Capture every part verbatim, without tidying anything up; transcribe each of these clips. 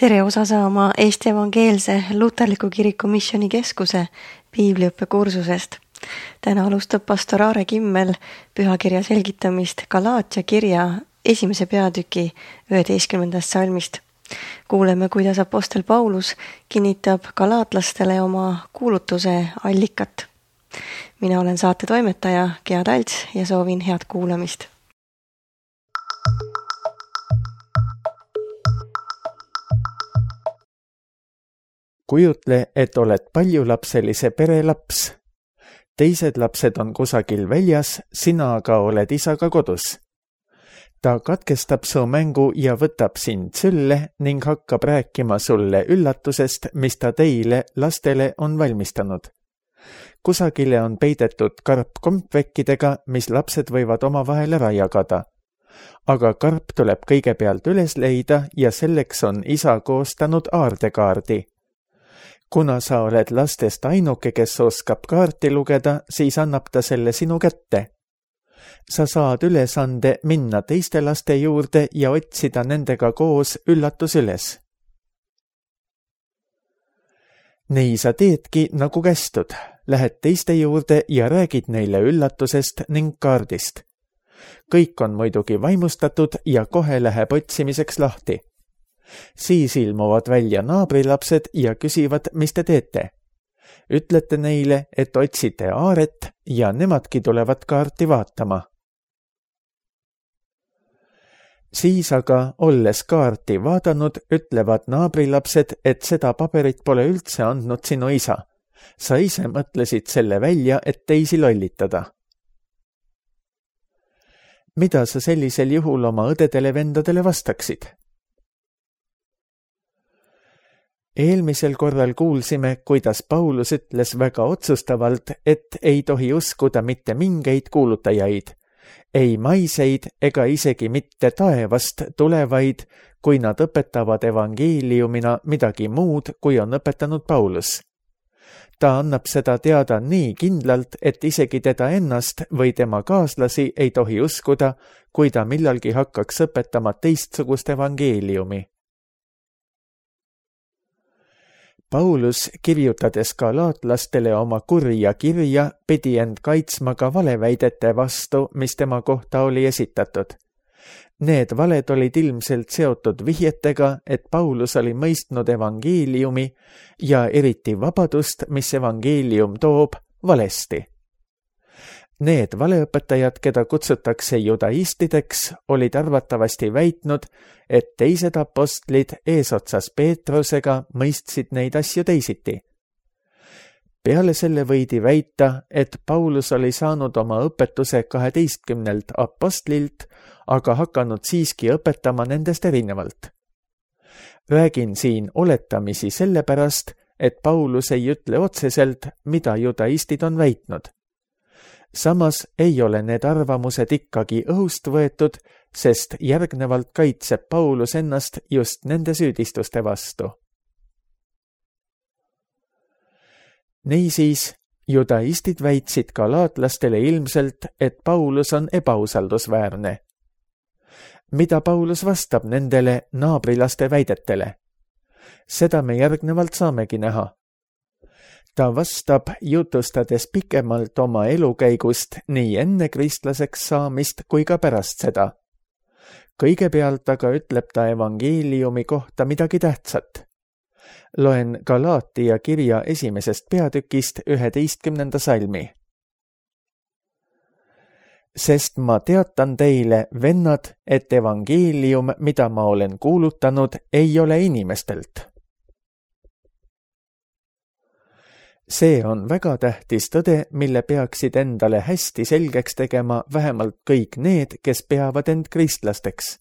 Tere osa saama Eesti Evangeelse Luterliku Kiriku Missioonikeskuse piibliõppekursusest. Täna alustab pastor Aare Kimmel pühakirja selgitamist Galaatia kirja esimese peatüki üheteistkümnendast salmist. Kuuleme, kuidas apostel Paulus kinnitab galaatlastele oma kuulutuse allikat. Mina olen saate toimetaja Gea Talts ja soovin head kuulamist. Kujutle, et oled paljulapselise pere laps. Teised lapsed on kusagil väljas, sina aga oled isaga kodus. Ta katkestab su mängu ja võtab sind sülle ning hakkab rääkima sulle üllatusest, mis ta teile, lastele, on valmistanud. Kusagile on peidetud karp kompvekkidega, mis lapsed võivad omavahel ära jagada. Aga karp tuleb kõigepealt üles leida ja selleks on isa koostanud aardekaardi. Kuna sa oled lastest ainuke, kes oskab kaarti lugeda, siis annab ta selle sinu kätte. Sa saad ülesande minna teiste laste juurde ja otsida nendega koos üllatus üles. Nii sa teedki nagu kästud. Lähed teiste juurde ja räägid neile üllatusest ning kaardist. Kõik on muidugi vaimustatud ja kohe läheb otsimiseks lahti. Siis ilmuvad välja naabrilapsed ja küsivad, mis te teete. Ütlete neile, et otsite Aaret ja nemadki tulevad kaarti vaatama. Siis aga, olles kaarti vaadanud, ütlevad naabrilapsed, et seda paberit pole üldse andnud sinu isa. Sa ise mõtlesid selle välja, et teisi lollitada. Mida sa sellisel juhul oma õdedele-vendadele vastaksid? Eelmisel korral kuulsime, kuidas Paulus ütles väga otsustavalt, et ei tohi uskuda mitte mingeid kuulutajaid, ei maiseid ega isegi mitte taevast tulevaid, kui nad õpetavad evangeeliumina midagi muud, kui on õpetanud Paulus. Ta annab seda teada nii kindlalt, et isegi teda ennast või tema kaaslasi ei tohi uskuda, kui ta millalgi hakkaks õpetama teistsugust evangeeliumi. Paulus, kirjutades galaatlastele oma kurja kirja, pidi end kaitsma ka valeväidete vastu, mis tema kohta oli esitatud. Need valed olid ilmselt seotud vihjetega, et Paulus oli mõistnud evangeeliumi ja eriti vabadust, mis evangeelium toob, valesti. Need valeõpetajad, keda kutsutakse judaistideks, olid arvatavasti väitnud, et teised apostlid eesotsas Peetrusega mõistsid neid asju teisiti. Peale selle võidi väita, et Paulus oli saanud oma õpetuse kaheteistkümnelt apostlilt, aga hakanud siiski õpetama nendest erinevalt. Räägin siin oletamisi sellepärast, et Paulus ei ütle otseselt, mida judaistid on väitnud. Samas ei ole need arvamused ikkagi õhust võetud, sest järgnevalt kaitseb Paulus ennast just nende süüdistuste vastu. Niisiis, judaistid väitsid galaatlastele ilmselt, et Paulus on ebausaldusväärne. Mida Paulus vastab nendele naabrilaste väidetele? Seda me järgnevalt saamegi näha. Ta vastab, jutustades pikemalt oma elukäigust nii enne kristlaseks saamist kui ka pärast seda. Kõigepealt aga ütleb ta evangeeliumi kohta midagi tähtsat. Loen Galaatia kirja esimesest peatükist üheteistkümnenda salmi. Sest ma teatan teile, vennad, et evangeelium, mida ma olen kuulutanud, ei ole inimestelt. See on väga tähtis tõde, mille peaksid endale hästi selgeks tegema vähemalt kõik need, kes peavad end kristlasteks.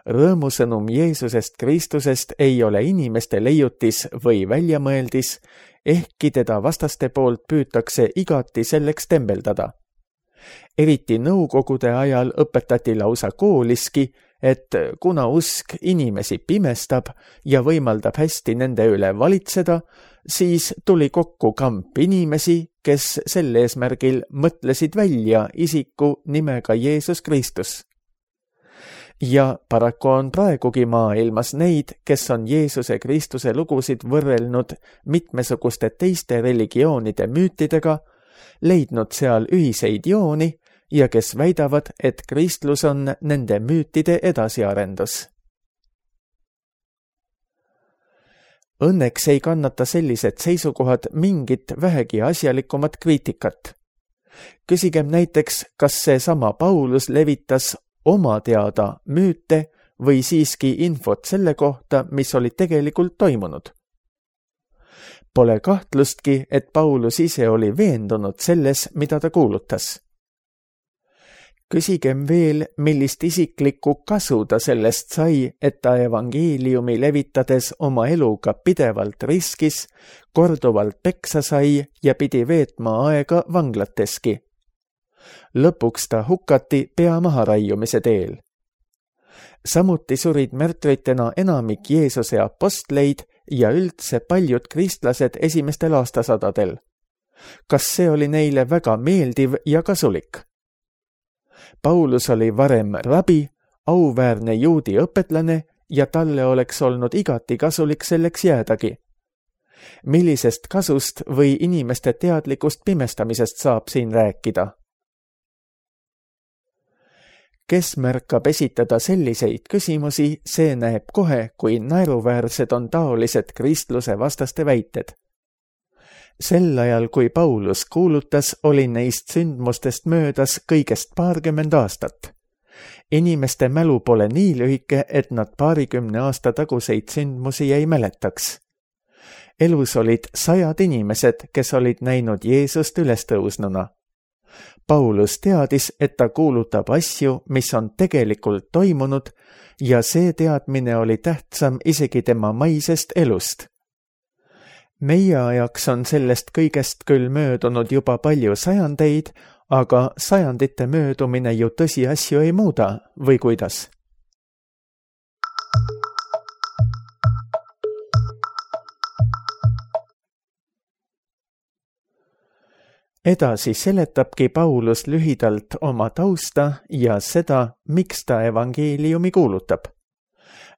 Rõõmusõnum Jeesusest Kristusest ei ole inimeste leiutis või väljamõeldis, ehkki teda vastaste poolt püütakse igati selleks tembeldada. Eriti nõukogude ajal õpetati lausa kooliski, et kuna usk inimesi pimestab ja võimaldab hästi nende üle valitseda, siis tuli kokku kamp inimesi, kes sel eesmärgil mõtlesid välja isiku nimega Jeesus Kristus. ja paraku on praegugi maailmas neid, kes on Jeesuse Kristuse lugusid võrrelnud mitmesuguste teiste religioonide müütidega, leidnud seal ühiseid jooni ja kes väidavad, et kristlus on nende müütide edasiarendus. Õnneks ei kannata sellised seisukohad mingit vähegi asjalikumat kriitikat. Küsigem näiteks, kas see sama Paulus levitas oma teada müüte või siiski infot selle kohta, mis oli tegelikult toimunud. Pole kahtlustki, et Paulus ise oli veendunud selles, mida ta kuulutas. Küsigem veel, millist isiklikku kasu ta sellest sai, et ta evangeeliumi levitades oma eluga pidevalt riskis, korduvalt peksa sai ja pidi veetma aega vanglateski. Lõpuks ta hukati pea maharaiumise teel. Samuti surid märtritena enamik Jeesuse apostleid ja üldse paljud kristlased esimestel aastasadadel. Kas see oli neile väga meeldiv ja kasulik? Paulus oli varem rabi, auväärne juudi õpetlane ja talle oleks olnud igati kasulik selleks jäädagi. Millisest kasust või inimeste teadlikust pimestamisest saab siin rääkida? Kes märkab esitada selliseid küsimusi, see näeb kohe, kui naeruväärsed on taolised kristluse vastaste väited. Sel ajal, kui Paulus kuulutas, oli neist sündmustest möödas kõigest paarkümmend aastat. Inimeste mälu pole nii lühike, et nad paarikümne aasta taguseid sündmusi ei mäletaks. Elus olid sajad inimesed, kes olid näinud Jeesust ülestõusnuna. Paulus teadis, et ta kuulutab asju, mis on tegelikult toimunud ja see teadmine oli tähtsam isegi tema maisest elust. Meie ajaks on sellest kõigest küll möödunud juba palju sajandeid, aga sajandite möödumine ju tõsiasju ei muuda, või kuidas? Edasi seletabki Paulus lühidalt oma tausta ja seda, miks ta evangeeliumi kuulutab.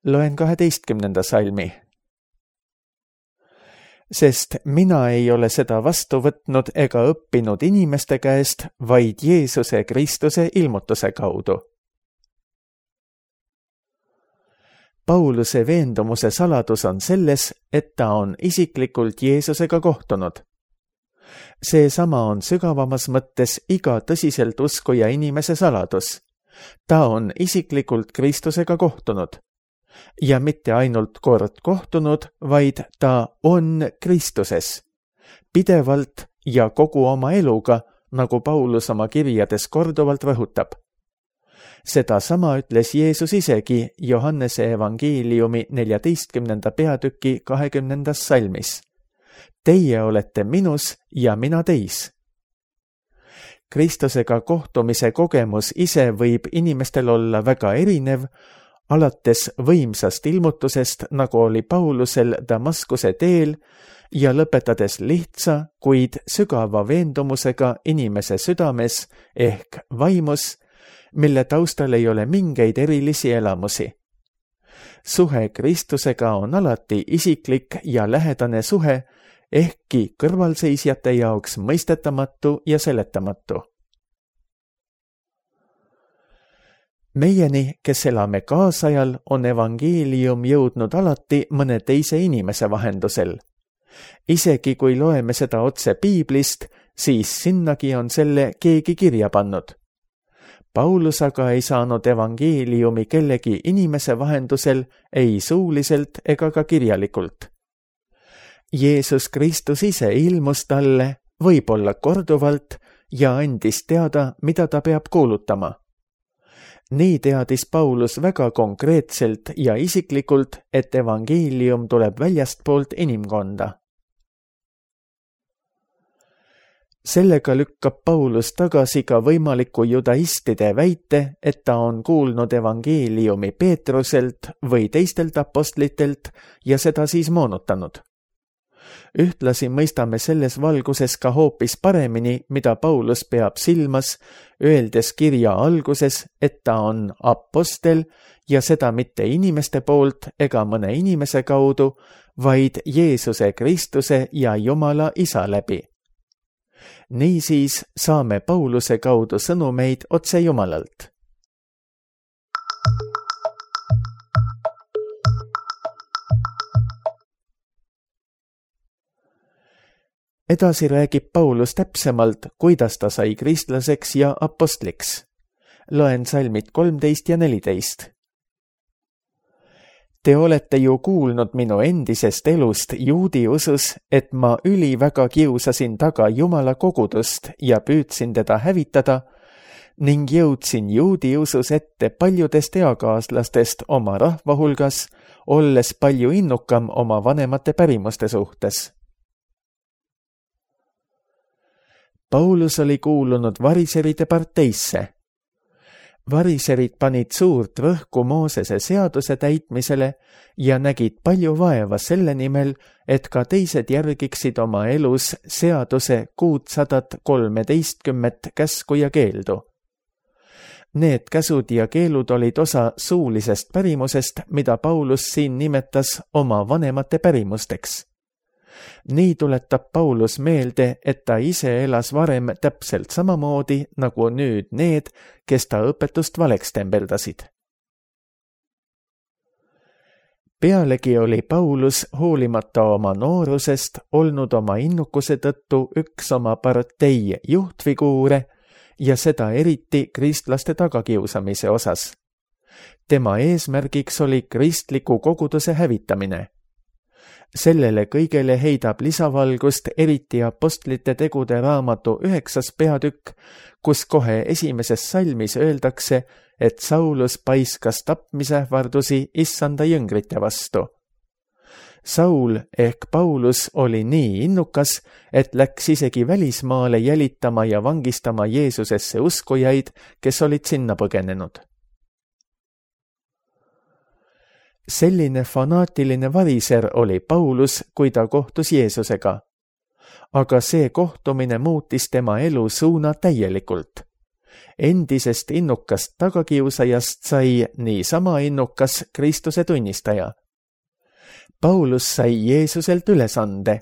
Loen kaheteistkümnenda salmi. Sest mina ei ole seda vastu võtnud ega õppinud inimeste käest, vaid Jeesuse Kristuse ilmutuse kaudu. Pauluse veendumuse saladus on selles, et ta on isiklikult Jeesusega kohtunud. Seesama on sügavamas mõttes iga tõsiselt uskuja inimese saladus. Ta on isiklikult Kristusega kohtunud. Ja mitte ainult kord kohtunud, vaid ta on Kristuses. Pidevalt ja kogu oma eluga, nagu Paulus oma kirjades korduvalt rõhutab. Seda sama ütles Jeesus isegi Johannese evangeeliumi neljateistkümnenda peatüki kahekümnendas salmis. Teie olete minus ja mina teis. Kristusega kohtumise kogemus ise võib inimestel olla väga erinev, alates võimsast ilmutusest, nagu oli Paulusel Damaskuse teel, ja lõpetades lihtsa, kuid sügava veendumusega inimese südames ehk vaimus, mille taustal ei ole mingeid erilisi elamusi. Suhe Kristusega on alati isiklik ja lähedane suhe, ehkki kõrvalseisjate jaoks mõistetamatu ja seletamatu. Meieni, kes elame kaasajal, on evangeelium jõudnud alati mõne teise inimese vahendusel. Isegi kui loeme seda otse Piiblist, siis sinnagi on selle keegi kirja pannud. Paulus aga ei saanud evangeeliumi kellegi inimese vahendusel ei suuliselt ega ka kirjalikult. Jeesus Kristus ise ilmus talle, võib-olla korduvalt, ja andis teada, mida ta peab kuulutama. Nii teadis Paulus väga konkreetselt ja isiklikult, et evangeelium tuleb väljastpoolt inimkonda. Sellega lükkab Paulus tagasi ka võimaliku judaistide väite, et ta on kuulnud evangeeliumi Peetruselt või teistelt apostlitelt ja seda siis moonutanud. Ühtlasi mõistame selles valguses ka hoopis paremini, mida Paulus peab silmas, öeldes kirja alguses, et ta on apostel ja seda mitte inimeste poolt ega mõne inimese kaudu, vaid Jeesuse Kristuse ja Jumala Isa läbi. Niisiis saame Pauluse kaudu sõnumeid otse Jumalalt. Edasi räägib Paulus täpsemalt, kuidas ta sai kristlaseks ja apostliks. Loen salmid kolmteist ja neliteist. Te olete ju kuulnud minu endisest elust juudi usus, et ma üliväga kiusasin taga Jumala kogudust ja püüdsin teda hävitada ning jõudsin juudi usus ette paljudest eakaaslastest oma rahva hulgas, olles palju innukam oma vanemate pärimuste suhtes. Paulus oli kuulunud variseride parteisse. Variserid panid suurt rõhku Moosese seaduse täitmisele ja nägid palju vaeva selle nimel, et ka teised järgiksid oma elus seaduse kuutsadat kolmeteistkümmet käsku ja keeldu. Need käsud ja keelud olid osa suulisest pärimusest, mida Paulus siin nimetas oma vanemate pärimusteks. Nii tuletab Paulus meelde, et ta ise elas varem täpselt samamoodi nagu nüüd need, kes ta õpetust valeks tembeldasid. Pealegi oli Paulus hoolimata oma noorusest olnud oma innukuse tõttu üks oma partei juhtfiguure ja seda eriti kristlaste tagakiusamise osas. Tema eesmärgiks oli kristliku koguduse hävitamine. Sellele kõigele heidab lisavalgust eriti apostlite tegude raamatu üheksas peatükk, kus kohe esimeses salmis öeldakse, et Saulus paiskas tapmisähvardusi issanda jüngrite vastu. Saul ehk Paulus oli nii innukas, et läks isegi välismaale jälitama ja vangistama Jeesusesse uskujaid, kes olid sinna põgenenud. Selline fanaatiline variser oli Paulus, kui ta kohtus Jeesusega. Aga see kohtumine muutis tema elu suuna täielikult. Endisest innukast tagakiusajast sai nii sama innukas Kristuse tunnistaja. Paulus sai Jeesuselt ülesande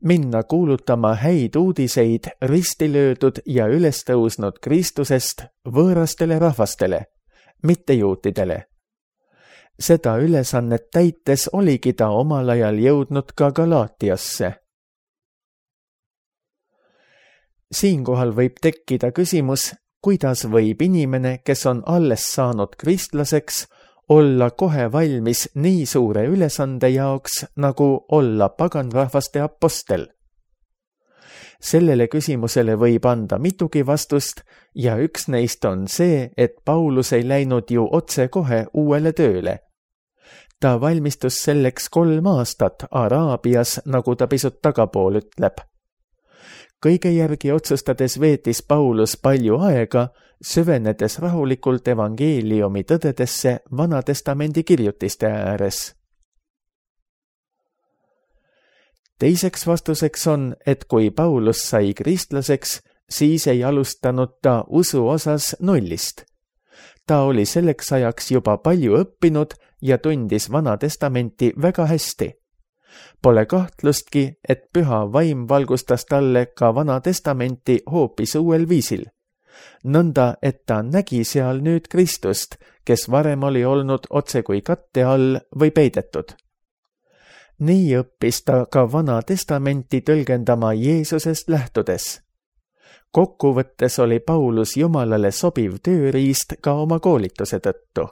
minna kuulutama häid uudiseid ristilöödud ja üles tõusnud Kristusest võõrastele rahvastele, mitte juutidele. Seda ülesannet täites oligi ta omal ajal jõudnud ka Galaatiasse. Siinkohal võib tekkida küsimus, kuidas võib inimene, kes on alles saanud kristlaseks, olla kohe valmis nii suure ülesande jaoks, nagu olla paganrahvaste apostel. Sellele küsimusele võib anda mitugi vastust ja üks neist on see, et Paulus ei läinud ju otse kohe uuele tööle. Ta valmistus selleks kolm aastat Araabias, nagu ta pisut tagapool ütleb. Kõige järgi otsustades veetis Paulus palju aega, süvenedes rahulikult evangeeliumi tõdedesse Vanatestamendi kirjutiste ääres. Teiseks vastuseks on, et kui Paulus sai kristlaseks, siis ei alustanud ta usu osas nullist. Ta oli selleks ajaks juba palju õppinud ja tundis Vanatestamenti väga hästi. Pole kahtlustki, et püha vaim valgustas talle ka Vanatestamenti hoopis uuel viisil. Nõnda, et ta nägi seal nüüd Kristust, kes varem oli olnud otse kui katte all või peidetud. Nii õppis ta ka Vanatestamenti tõlgendama Jeesusest lähtudes. Kokkuvõttes oli Paulus Jumalale sobiv tööriist ka oma koolituse tõttu.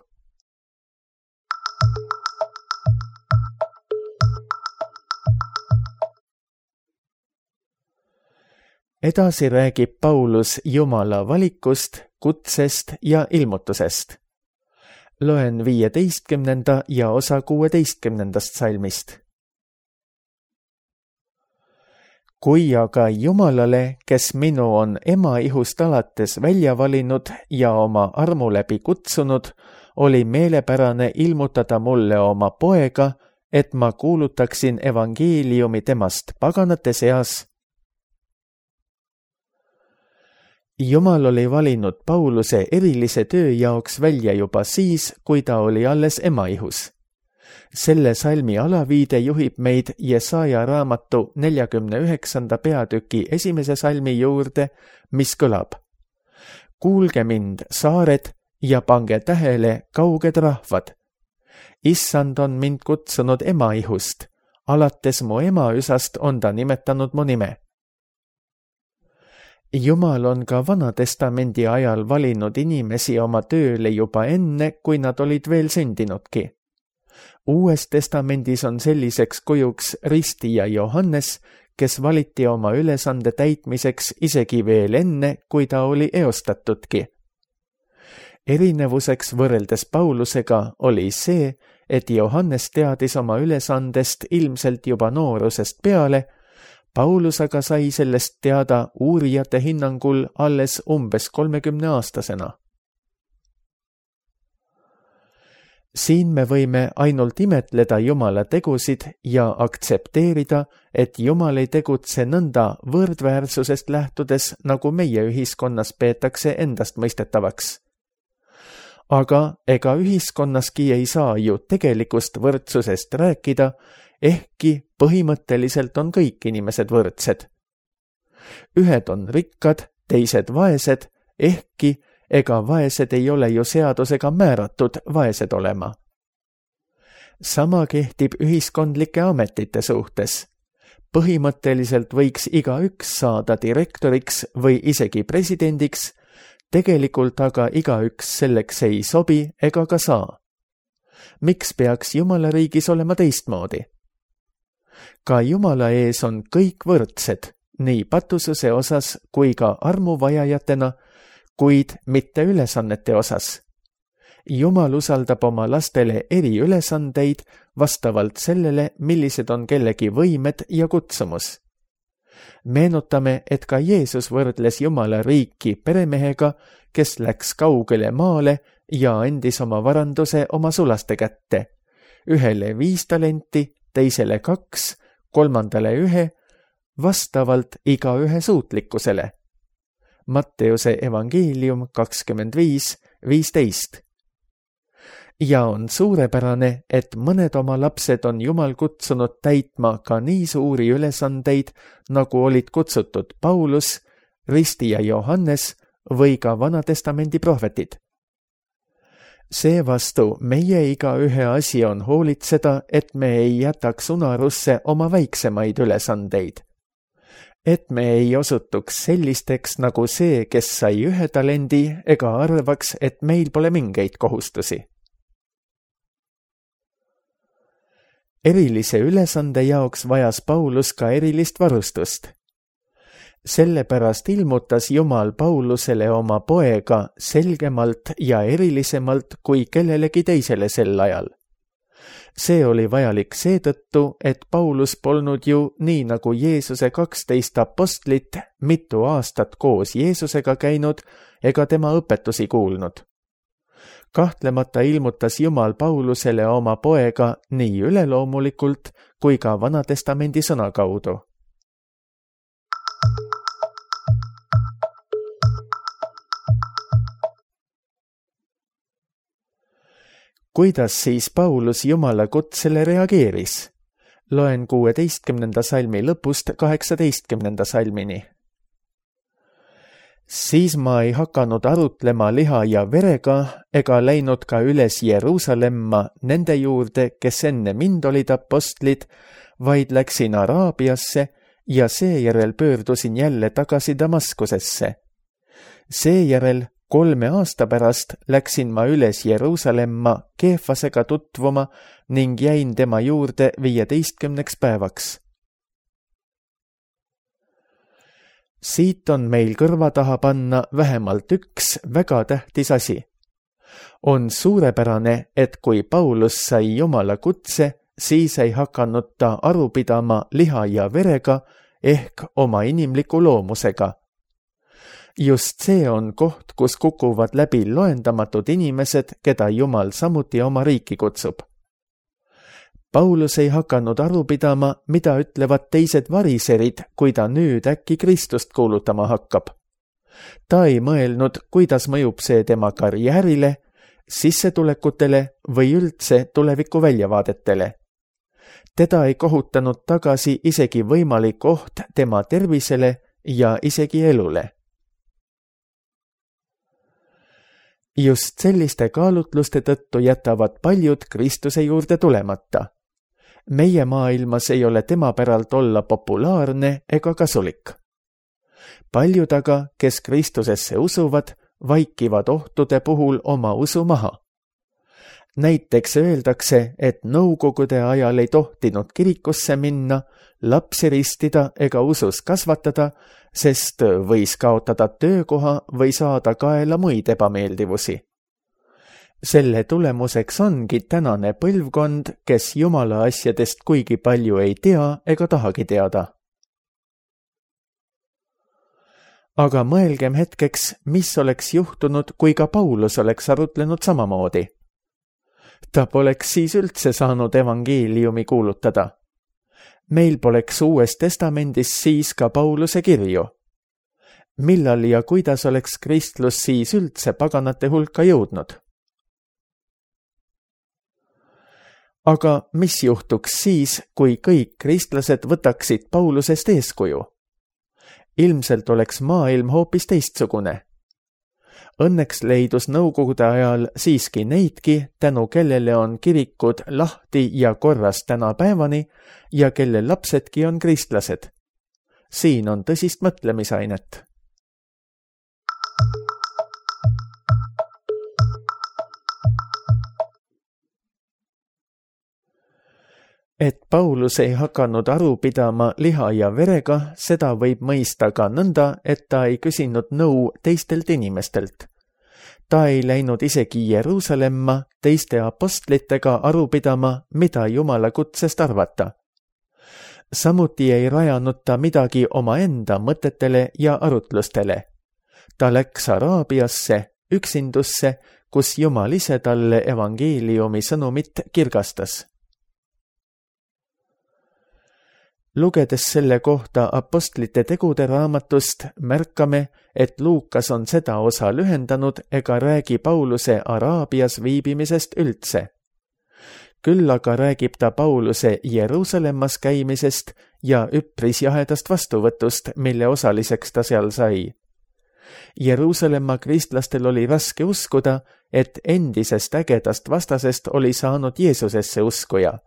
Edasi räägib Paulus Jumala valikust, kutsest ja ilmutusest. Loen viieteistkümnenda ja osa kuueteistkümnendast salmist. Kui aga Jumalale, kes minu on ema ihust alates välja valinud ja oma armu läbi kutsunud, oli meelepärane ilmutada mulle oma poega, et ma kuulutaksin evangeeliumi temast paganate seas. Jumal oli valinud Pauluse erilise töö jaoks välja juba siis, kui ta oli alles emaihus. Selle salmi alaviide juhib meid Jesaja raamatu neljakümne üheksanda peatüki esimese salmi juurde, mis kõlab: kuulge mind, saared, ja pange tähele, kauged rahvad. Issand on mind kutsunud emaihust, alates mu emaüsast on ta nimetanud mu nime. Jumal on ka Vanatestamendi ajal valinud inimesi oma tööle juba enne, kui nad olid veel sündinudki. Uues testamendis on selliseks kujuks ristija Johannes, kes valiti oma ülesande täitmiseks isegi veel enne, kui ta oli eostatudki. Erinevuseks võrreldes Paulusega oli see, et Johannes teadis oma ülesandest ilmselt juba noorusest peale, Paulus aga sai sellest teada uurijate hinnangul alles umbes kolmekümne aastasena. Siin me võime ainult imetleda Jumala tegusid ja aktsepteerida, et Jumal ei tegutse nõnda võrdväärsusest lähtudes, nagu meie ühiskonnas peetakse endast mõistetavaks. Aga ega ühiskonnaski ei saa ju tegelikust võrdsusest rääkida, ehkki põhimõtteliselt on kõik inimesed võrdsed. Ühed on rikkad, teised vaesed, ehkki ega vaesed ei ole ju seadusega määratud vaesed olema. Sama kehtib ühiskondlike ametite suhtes. Põhimõtteliselt võiks igaüks saada direktoriks või isegi presidendiks, tegelikult aga igaüks selleks ei sobi ega ka saa. Miks peaks Jumala riigis olema teistmoodi? Ka Jumala ees on kõik võrdsed, nii patususe osas kui ka armuvajajatena, kuid mitte ülesannete osas. Jumal usaldab oma lastele eriülesandeid vastavalt sellele, millised on kellegi võimed ja kutsumus. Meenutame, et ka Jeesus võrdles Jumala riiki peremehega, kes läks kaugele maale ja andis oma varanduse oma sulaste kätte. Ühele viis talenti, teisele kaks, kolmandale ühe, vastavalt igaühe suutlikkusele. Matteuse evangeelium kakskümmend viis viisteist. Ja on suurepärane, et mõned oma lapsed on Jumal kutsunud täitma ka nii suuri ülesandeid, nagu olid kutsutud Paulus, ristija Johannes või ka Vanatestamendi prohvetid. Seevastu meie igaühe asi on hoolitseda, et me ei jätaks unarusse oma väiksemaid ülesandeid. Et me ei osutuks sellisteks nagu see, kes sai ühe talendi, ega arvaks, et meil pole mingeid kohustusi. Erilise ülesande jaoks vajas Paulus ka erilist varustust. Sellepärast ilmutas Jumal Paulusele oma poega selgemalt ja erilisemalt kui kellelegi teisele sel ajal. See oli vajalik seetõttu, et Paulus polnud ju nii nagu Jeesuse kaksteist apostlit mitu aastat koos Jeesusega käinud ega tema õpetusi kuulnud. Kahtlemata ilmutas Jumal Paulusele oma poega nii üleloomulikult kui ka Vanatestamendi sõna kaudu. Kuidas siis Paulus Jumala kutsele reageeris? Loen kuueteistkümnenda salmi lõpust kaheksateistkümnenda salmini. Siis ma ei hakanud arutlema liha ja verega ega läinud ka üles Jeruusalemma nende juurde, kes enne mind olid apostlid, vaid läksin Araabiasse ja seejärel pöördusin jälle tagasi Damaskusesse. Seejärel kolme aasta pärast läksin ma üles Jeruusalemma Keefasega tutvuma ning jäin tema juurde viieteistkümneks päevaks. Siit on meil kõrva taha panna vähemalt üks väga tähtis asi. On suurepärane, et kui Paulus sai Jumala kutse, siis ei hakanud ta aru pidama liha ja verega ehk oma inimliku loomusega. Just see on koht, kus kukuvad läbi loendamatud inimesed, keda Jumal samuti oma riiki kutsub. Paulus ei hakanud aru pidama, mida ütlevad teised variserid, kui ta nüüd äkki Kristust kuulutama hakkab. Ta ei mõelnud, kuidas mõjub see tema karjäärile, sissetulekutele või üldse tuleviku väljavaadetele. Teda ei kohutanud tagasi isegi võimalik oht tema tervisele ja isegi elule. Just selliste kaalutluste tõttu jätavad paljud Kristuse juurde tulemata. Meie maailmas ei ole tema päralt olla populaarne ega kasulik. Paljud aga, kes Kristusesse usuvad, vaikivad ohtude puhul oma usu maha. Näiteks öeldakse, et nõukogude ajal ei tohtinud kirikusse minna, lapsi ristida ega usus kasvatada, sest võis kaotada töökoha või saada kaela muid ebameeldivusi. Selle tulemuseks ongi tänane põlvkond, kes Jumala asjadest kuigi palju ei tea ega tahagi teada. Aga mõelgem hetkeks, mis oleks juhtunud, kui ka Paulus oleks arutlenud samamoodi. Ta poleks siis üldse saanud evangeeliumi kuulutada. Meil poleks Uues Testamendis siis ka Pauluse kirju. Millal ja kuidas oleks kristlus siis üldse paganate hulka jõudnud? Aga mis juhtuks siis, kui kõik kristlased võtaksid Paulusest eeskuju? Ilmselt oleks maailm hoopis teistsugune. Õnneks leidus nõukogude ajal siiski neidki, tänu kellele on kirikud lahti ja korras tänapäevani ja kelle lapsedki on kristlased. Siin on tõsist mõtlemisainet. Et Paulus ei hakanud aru pidama liha ja verega, seda võib mõista ka nõnda, et ta ei küsinud nõu teistelt inimestelt. Ta ei läinud isegi Jeruusalemma teiste apostlitega aru pidama, mida Jumala kutsest arvata. Samuti ei rajanud ta midagi omaenda mõtetele ja arutlustele. Ta läks Araabiasse, üksindusse, kus Jumal ise talle evangeeliumi sõnumit kirgastas. Lugedes selle kohta apostlite tegude raamatust, märkame, et Luukas on seda osa lühendanud ega räägi Pauluse Araabias viibimisest üldse. Küll aga räägib ta Pauluse Jeruusalemmas käimisest ja üpris jahedast vastuvõtust, mille osaliseks ta seal sai. Jeruusalemma kristlastel oli raske uskuda, et endisest ägedast vastasest oli saanud Jeesusesse uskuja.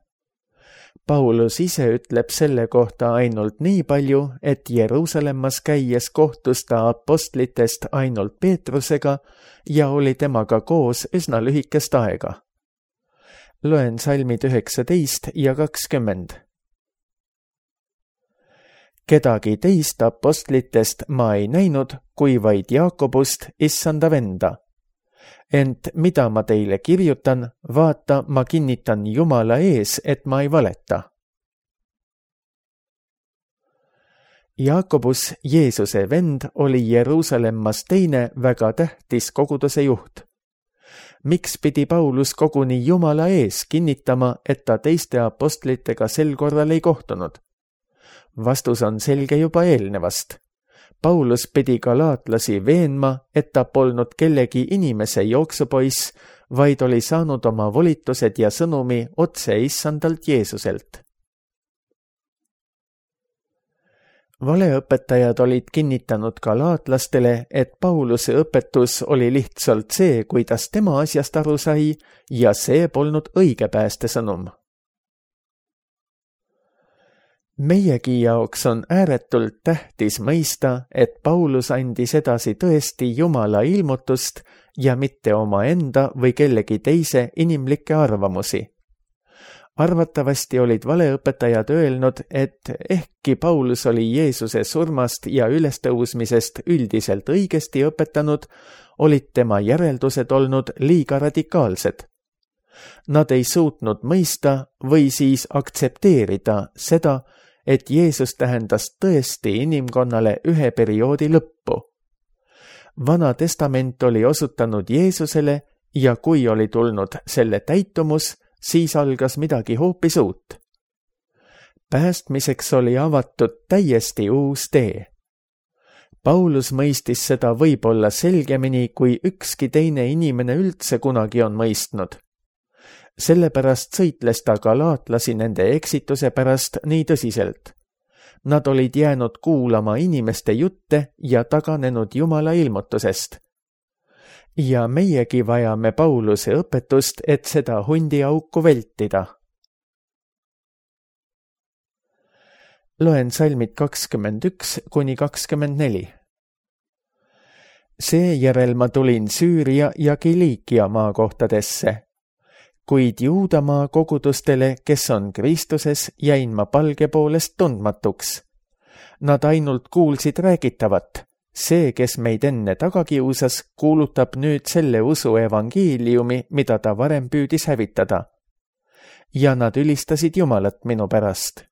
Paulus ise ütleb selle kohta ainult nii palju, et Jeruusalemmas käies kohtus ta apostlitest ainult Peetrusega ja oli temaga koos üsna lühikest aega. Loen salmid üheksateist ja kakskümmend. Kedagi teist apostlitest ma ei näinud, kui vaid Jaakobust, issanda venda. Ent mida ma teile kirjutan, vaata, ma kinnitan Jumala ees, et ma ei valeta. Jaakobus, Jeesuse vend, oli Jeruusalemmas teine väga tähtis koguduse juht. Miks pidi Paulus koguni Jumala ees kinnitama, et ta teiste apostlitega sel korral ei kohtunud? Vastus on selge juba eelnevast. Paulus pidi galaatlasi veenma, et ta polnud kellegi inimese jooksupoiss, vaid oli saanud oma volitused ja sõnumi otse issandalt Jeesuselt. Valeõpetajad olid kinnitanud galaatlastele, et Pauluse õpetus oli lihtsalt see, kuidas tema asjast aru sai, ja see polnud õige päästesõnum. Meiegi jaoks on ääretult tähtis mõista, et Paulus andis edasi tõesti Jumala ilmutust ja mitte omaenda või kellegi teise inimlikke arvamusi. Arvatavasti olid valeõpetajad öelnud, et ehkki Paulus oli Jeesuse surmast ja ülestõusmisest üldiselt õigesti õpetanud, olid tema järeldused olnud liiga radikaalsed. Nad ei suutnud mõista või siis aktsepteerida seda, et Jeesus tähendas tõesti inimkonnale ühe perioodi lõppu. Vana testament oli osutanud Jeesusele ja kui oli tulnud selle täitumus, siis algas midagi hoopis uut. Päästmiseks oli avatud täiesti uus tee. Paulus mõistis seda võib-olla selgemini, kui ükski teine inimene üldse kunagi on mõistnud. Sellepärast sõitles ta galaatlasi nende eksituse pärast nii tõsiselt. Nad olid jäänud kuulama inimeste jutte ja taganenud Jumala ilmutusest. Ja meiegi vajame Pauluse õpetust, et seda hundiauku vältida. Loen salmid kakskümmend üks kuni kakskümmend neli. Seejärel ma tulin Süüria ja Kiliikia maakohtadesse. Kuid Juudamaa kogudustele, kes on Kristuses, jäin ma palge poolest tundmatuks. Nad ainult kuulsid räägitavat. See, kes meid enne taga kiusas, kuulutab nüüd selle usu evangeeliumi, mida ta varem püüdis hävitada. Ja nad ülistasid Jumalat minu pärast.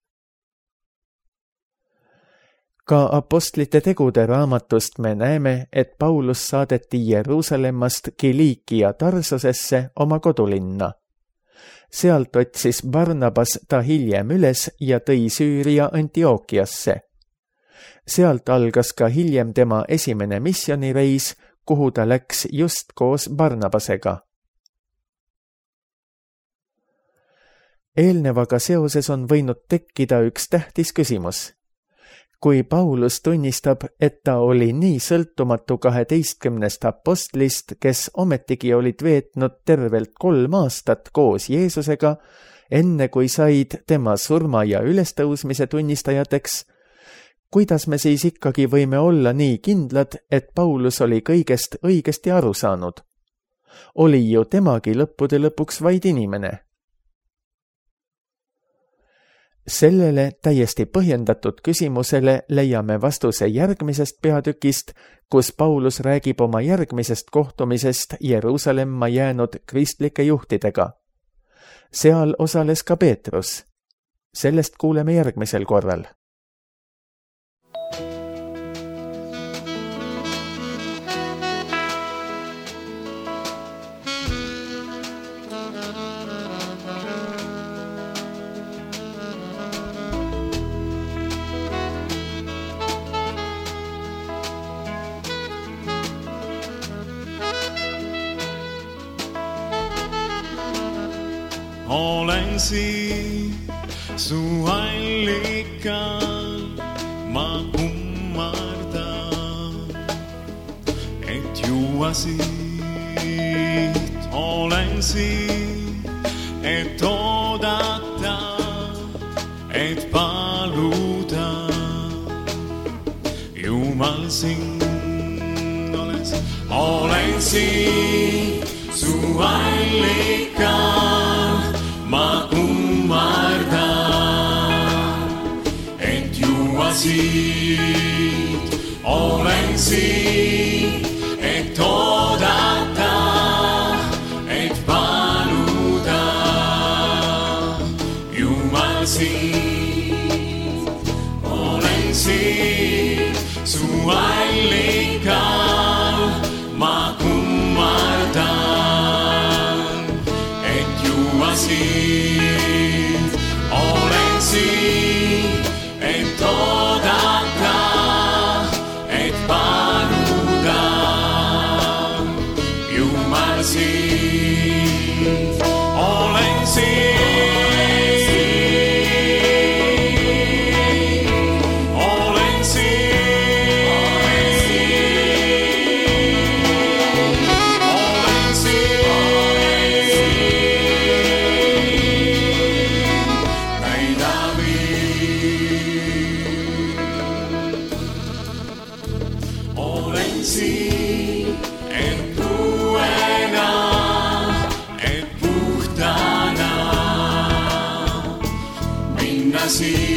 Ka apostlite tegude raamatust me näeme, et Paulus saadeti Jeruusalemmast Kiliikia Tarsosesse oma kodulinna. Sealt otsis Barnabas ta hiljem üles ja tõi Süüria Antiookiasse. Sealt algas ka hiljem tema esimene missioonireis, kuhu ta läks just koos Barnabasega. Eelnevaga seoses on võinud tekkida üks tähtis küsimus. Kui Paulus tunnistab, et ta oli nii sõltumatu kaheteistkümnest apostlist, kes ometigi olid veetnud tervelt kolm aastat koos Jeesusega, enne kui said tema surma ja ülestõusmise tunnistajateks, kuidas me siis ikkagi võime olla nii kindlad, et Paulus oli kõigest õigesti aru saanud? Oli ju temagi lõppude lõpuks vaid inimene. Sellele täiesti põhjendatud küsimusele leiame vastuse järgmisest peatükist, kus Paulus räägib oma järgmisest kohtumisest Jeruusalemma jäänud kristlike juhtidega. Seal osales ka Peetrus. Sellest kuuleme järgmisel korral. Olen siin su allikal, ma kummardan, et juua siit. Olen siin, et oodata, et paluda. Jumal sind oles. Olen siin su allikal, ma kummardan, et juua siit. Olen siin, et oodata, et paluda. Jumal sind. Olen siin, su allikal, ma kummardan, et juua siit. Olen siin, et oodata, et paluda. Jumal sind. Olen siin. See